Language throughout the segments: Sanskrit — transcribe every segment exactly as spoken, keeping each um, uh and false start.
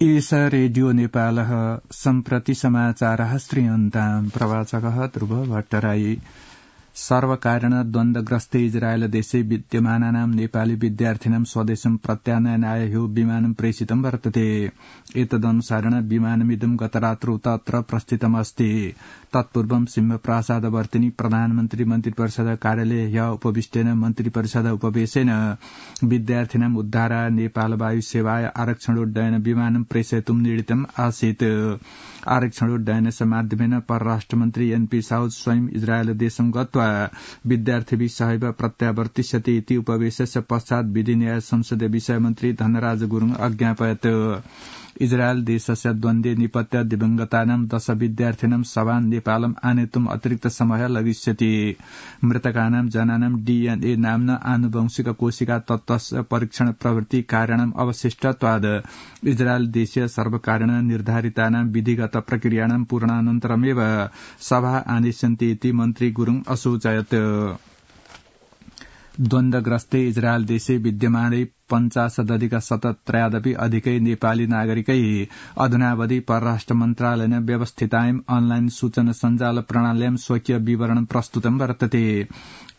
एष रेडियो नेपालः सम्प्रति समाचारः श्रूयन्ताम् प्रवाचकः ध्रुव भट्टराई सर्वकारण द्वन्द्वग्रस्ते इजरायल देशे विद्यमानानां नेपाली विद्यार्थिनां स्वदेशं प्रत्यानयनाय ह्यो विमानं प्रेषितं वर्तते। एतदनुसारेण विमानमिदं गतरात्रौ तत्र प्रस्थितमस्ति। तत्पूर्वं सिंहप्रासादवर्तिनि प्रधानमन्त्री मन्त्रिपरिषद कार्यालये ह्यः उपविष्टेन मन्त्रिपरिषद उपवेशेन विद्यार्थिनां उद्धाराय नेपाल वायु सेवाय आरक्षणोड्डयन विमानं प्रेषयितुं निर्णीतम् आसीत्। आरक्षणोड्डयनस्य माध्यमेन परराष्ट्रमन्त्री एनपी साउद स्वयं इजरायल देशं गत्वा विद्यार्थिभिः सहैव प्रत्यावर्तिष्यति इति उपवेशस्य पश्चात् विधि न्याय संसदीय विषय मन्त्री धनराज गुरुङ अज्ञापयत्। इजरायल देशस्य द्वन्द्वे निपत्य दिवंगतानां दश विद्यार्थिनां शवान् नेपालम् आनेतुम् अतिरिक्त समय लगिष्यति। मृतकानां जनानां डीएनए नाम्ना आनुवंशिक कोशिका तत्त्वस्य परीक्षण प्रवृत्ति कारणम् अवशिष्टत्वाद् इजरायल देशीय सर्वकारेण निर्धारितानां विधिगत प्रक्रियाणां पूर्णानन्तरमेव सभा आनेष्यन्ति इति मन्त्री गुरुङ असूचयत्। द्वन्द्वग्रस्ते इजरायल देशे विद्यमानै पञ्चाशदधिक शतत्रयादपि अधिकै नेपाली नागरिकै अधुनावधि परराष्ट्र मन्त्रालयेन व्यवस्थितायां अनलाइन सूचना सञ्जाल प्रणाल्यां स्वकीय विवरणं प्रस्तुतं वर्तते।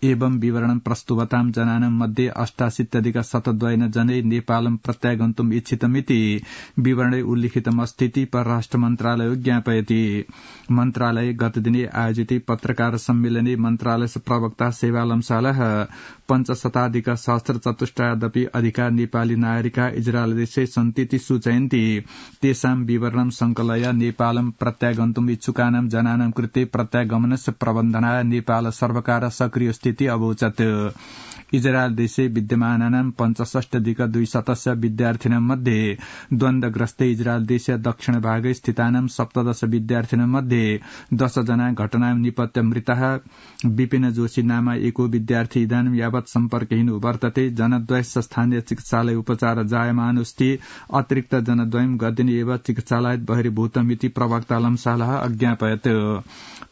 एवं विवरणं प्रस्तुवतां जनानां मध्ये अष्टाशीत्यधिक शतद्वयेन जनै नेपालं प्रत्यागन्तुम् इच्छितमिति विवरणे उल्लिखितमस्तीति परराष्ट्र मन्त्रालयो ज्ञापयति। मन्त्रालये गतदिने आयोजिते पत्रकार सम्मेलने मन्त्रालयस्य प्रवक्ता सेवालम्सालः पञ्चशताधिक सहस्रचतुष्टयादपि अधिका नेपाली नागरिका इजरायल देशे सन्तीति सूचयन्ति। तेषां विवरणं संकलय नेपालं प्रत्यागन्तुम् इच्छुकानां जनानां कृते प्रत्यागमनस्य प्रबन्धनाय नेपाल सर्वकार सक्रिय स्थिति अवोचत्। इजरायल देशे विद्यमानानां पञ्चषष्ट्यधिक द्विशतस्य विद्यार्थिनां मध्ये द्वन्द्वग्रस्ते इजरायल देशस्य दक्षिण भागे स्थितानां सप्तदश विद्यार्थिनां मध्ये दश जना घटनां निपत्य मृतः। विपिन जोशी नाम एको विद्यार्थी इदानीं यावत् सम्पर्कहीन वर्तते। जनद्वयस्य स्थानीय चिकित्सालय उपचार जायमानोऽस्ति। अतिरिक्त जनद्वयं गतदिने एव चिकित्सालयात् बहिर्भूतमिति प्रवक्ता लम्सालः अज्ञापयत्।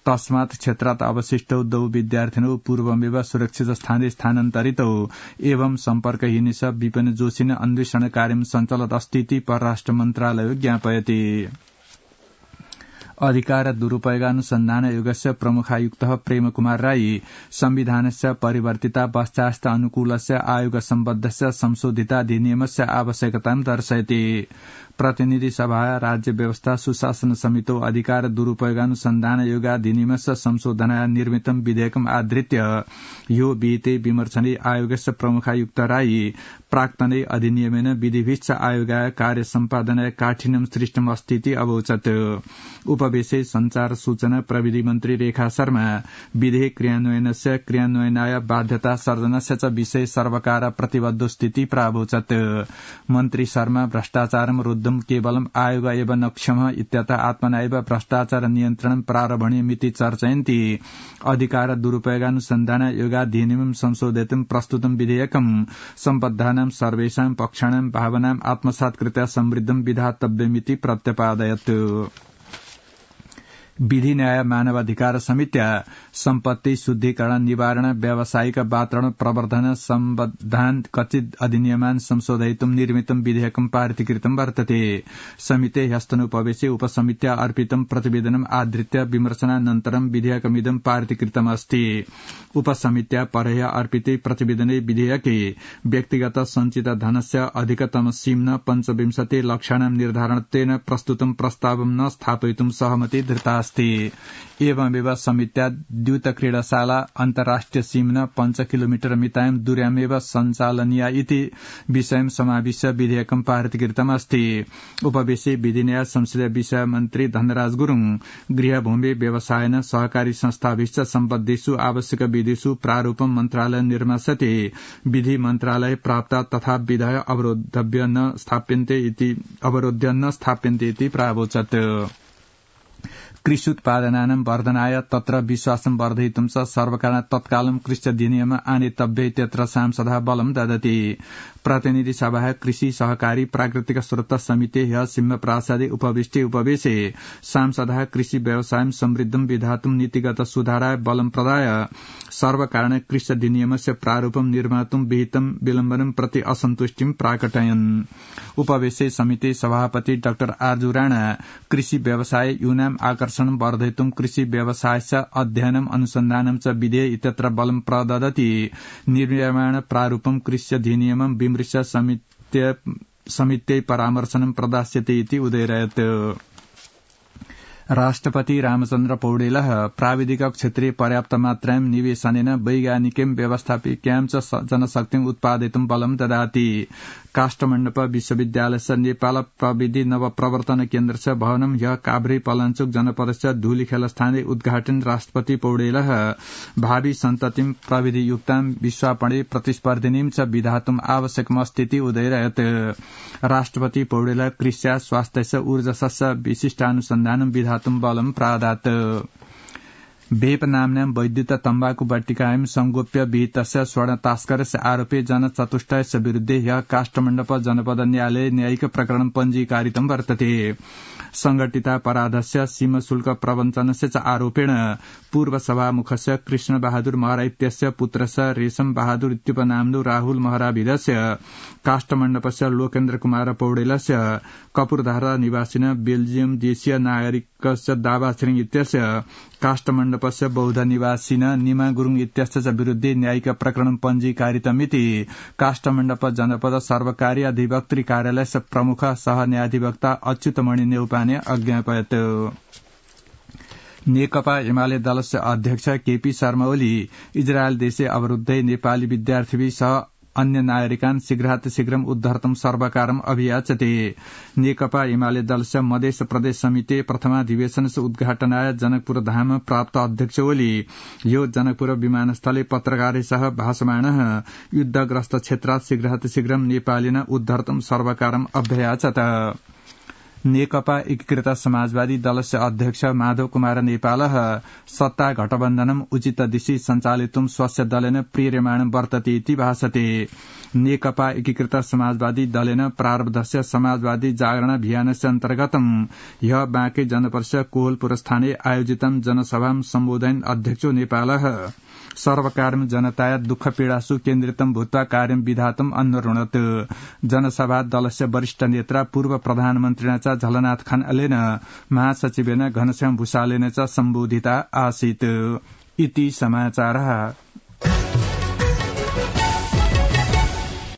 तस्मात् क्षेत्रात् अवशिष्टौ द्वौ विद्यार्थिनौ पूर्वमेव सुरक्षित स्थाने स्थानान्तरितौ एवं सम्पर्कहीनस्य विपिन जोशिन अन्वेषण कार्यं सञ्चलत् अस्तीति परराष्ट्र मन्त्रालयो ज्ञापयति। अधिकार दुरुपयोगानुसन्धान आयोगस्य प्रमुखायुक्तः प्रेमकुमार राई संविधानस्य परिवर्तिता पश्चात् अनुकूलस्य आयोग सम्बद्धस्य संशोधिताधिनियमस्य आवश्यकतां दर्शयति। प्रतिनिधि सभा राज्य व्यवस्था सुशासन समितौ अधिकार दुरुपयोगानुसन्धान आयोगाधिनियमस्य संशोधनाय निर्मितं विधेयकम् आधृत्य ह्यो विहिते विमर्शने आयोगस्य प्रमुखायुक्त राई प्राक्तने अधिनियमेन विधिभिश्च आयोगाय कार्य सम्पादनाय काठिन्यं सृष्टमस्तीति अवोचत्। उपवेशे संचार सूचना प्रविधि मन्त्री रेखा शर्मा विधेयक क्रियान्वयनस्य क्रियान्वयनाय बाध्यता सर्जनस्य च विषये सर्वकार प्रतिबद्ध स्थिति प्रावोचत्। मन्त्री शर्मा भ्रष्टाचारं रुद्धं केवलम् आयोग एव न क्षमः इत्यतः आत्मना एव भ्रष्टाचार नियन्त्रणं प्रारभणीयमिति चर्चयन्ति। अधिकार दुरुपयोगानुसन्धान आयोगाधिनियमं संशोधितं प्रस्तुतं विधेयकं सम्बद्धानां सर्वेषां पक्षाणां भावनाम् आत्मसात्कृत्य समृद्धं विधातव्यमिति प्रत्यपादयत्। विधि न्याय मानवाधिकार समित्या सम्पत्ति शुद्धिकरण निवारण व्यावसायिक वातावरण प्रवर्धन सम्बद्धान् कथित अधिनियमान् संशोधयितुं निर्मितं विधेयकं पारितीकृतं वर्तते। समिते ह्यस्तनोपवेशे उपसमित्या अर्पितं प्रतिवेदनम् आधृत्य विमर्शनानन्तरं विधेयकमिदं पारितीकृतमस्ति। उपसमित्या परह्यः अर्पिते प्रतिवेदने विधेयके व्यक्तिगत सञ्चित धनस्य अधिकतम सीम्न पञ्चविंशति लक्षाणां निर्धारणत्वेन प्रस्तुतं प्रस्तावं न स्थापयितुं सहमति धृतास्ति। एवमेव समित्या द्यूत क्रीडाशाला अन्तर्राष्ट्रिय सीम्न पञ्च किलोमीटर मितायां दूर्यामेव सञ्चालनीया इति विषयं समाविश्य विधेयकं पारितीकृतमस्ति। उपवेशे विधि न्याय संसदीय विषय मन्त्री धनराज गुरुङ गृहभूमि व्यवसायेन सहकारी संस्थाभिश्च सम्बद्धेषु आवश्यक विधिषु प्रारूपं मन्त्रालय निर्मास्यते। विधि मन्त्रालय प्राप्त तथा विधय अवरोधव्य न स्थाप्यन्ते इति अवरोध्य न स्थाप्यन्ते इति प्रावोचत्। कृष्युत्पादनानां वर्धनाय तत्र विश्वासं वर्धयितुं च सर्वकारः तत्कालं कृष्यधिनियम आनेतव्ये तत्र सांसदः बलं ददति। प्रतिनिधि सभाः कृषि सहकारी प्राकृतिक स्रोत समिति ह्य सिंह प्रासादे उपविष्टे उपवेशे सांसदः कृषि व्यवसायं समृद्धं विधातुं नीतिगत सुधाराय बलं प्रदाय सर्वकारणेन कृष्यधिनियमस्य प्रारूपं निर्मातुं विहितं विलम्बनं प्रति असन्तुष्टिं प्राकटयन्। उपवेशे समिति सभापति डाक्टर आर्जु राणा कृषि व्यवसाय यूनां आकर्षणं वर्धयितुं कृषि व्यवसायस्य अध्ययनम् अनुसन्धानं च विधेय इत्यत्र बलं प्रददति। निर्माण प्रारूपं कृष्यधिनियमं विमृश्य समित्यै समित्यै परामर्शनं प्रदास्यते इति उदयरयत्। राष्ट्रपति रामचन्द्र पौडेलः प्राविधिक क्षेत्रे पर्याप्त मात्रायां निवेशनेन वैज्ञानिकीं व्यवस्थापिकां च जनशक्तिं उत्पादयितुं बलं ददाति। काष्ठमण्डप विश्वविद्यालयस्य नेपाल प्रविधि नवप्रवर्तन केन्द्रस्य भवनं ह्यः काभ्रे पलाञ्चोक जनपदस्य धूलिखेलस्थाने उद्घाटन राष्ट्रपति पौडेलः भावी सन्ततिं प्रविधियुक्तां विश्वापणे प्रतिस्पर्धिनीं च विधातुम् आवश्यकमस्तीति उदयरयत्। राष्ट्रपति पौडेलः कृष्या स्वास्थ्यस्य ऊर्जसस्य विशिष्टानुसन्धानं विधातुं बलं प्रादात्। भेप नाम्नां वैद्युत तम्बाकु बट्टिकायां संगोप्य विहितस्य स्वर्ण तस्करस्य आरोपे जनचतुष्टयस्य विरुद्धे ह्यः काष्ठमण्डप जनपद न्यायालये न्यायिक प्रकरणं पञ्जीकारितं वर्तते। संघटितापराधस्य सीमशुल्क प्रवञ्चनस्य च आरोपेण पूर्व सभामुखस्य कृष्ण बहादुर महरा इत्यस्य पुत्रस्य रेशम बहादुर इत्युपनाम्नो राहुल महराविदस्य काष्ठमण्डपस्य लोकेन्द्र कुमार पौडेलस्य कपूरधारा निवासिन बेल्जियम देशीय नागरिकस्य दावा छिरिङ इत्यस्य काष्ठमण्डपस्य बौद्ध निवासिन निमा गुरूङ इत्यस्य च विरुद्धे न्यायिक प्रकरणं पञ्जीकारितमिति काष्ठमण्डप जनपद सर्वकारी अधिवक्तृ कार्यालयस्य प्रमुख सह न्यायाधिवक्ता अच्युतमणि नेउपाने अज्ञापयत्। नेकपा एमाले दलस्य अध्यक्ष केपी शर्मा ओली इजरायल देशे अवरुद्धै नेपाली विद्यार्थी सह अन्य नागरिकान् शीघ्रातिशीघ्रम् उद्धर्तुं सर्वकारम् अभियाचते। नेकपा एमाले दलस्य मधेस प्रदेश समिति प्रथमाधिवेशनस्य उद्घाटनाय जनकपुर धाम प्राप्त अध्यक्ष ओली यो जनकपुर विमानस्थले पत्रकारैः भाषमाणः युद्धग्रस्त क्षेत्रात् शीघ्रातिशीघ्रं नेपालिन उद्धर्तुं सर्वकारम् अभ्ययाचत। नेकपा एकीकृत समाजवादी दलस्य अध्यक्ष माधव कुमार नेपालः सत्ता गठबन्धनम् उचित दिशि सञ्चालितुं स्वस्य दलेन प्रेर्यमाणं वर्तते इति भासते। नेकपा एकीकृत समाजवादी दलेन प्रारब्धस्य समाजवादी जागरण अभियानस्य अन्तर्गतं ह्यः बाँके जनपदस्य कोहलपुरस्थाने आयोजितं जनसभां सम्बोधयन् अध्यक्षो नेपालः सर्वकारं जनताया दुःख पीडासु केन्द्रितं भूत्वा कार्यं विधातुम् अनुरुणत्। जनसभा दलस्य वरिष्ठ नेता पूर्व प्रधानमन्त्रिणा च झलनाथ खनालेन महासचिवेन घनश्याम भूषालेन च सम्बोधिता आसीत्। इति समाचारः।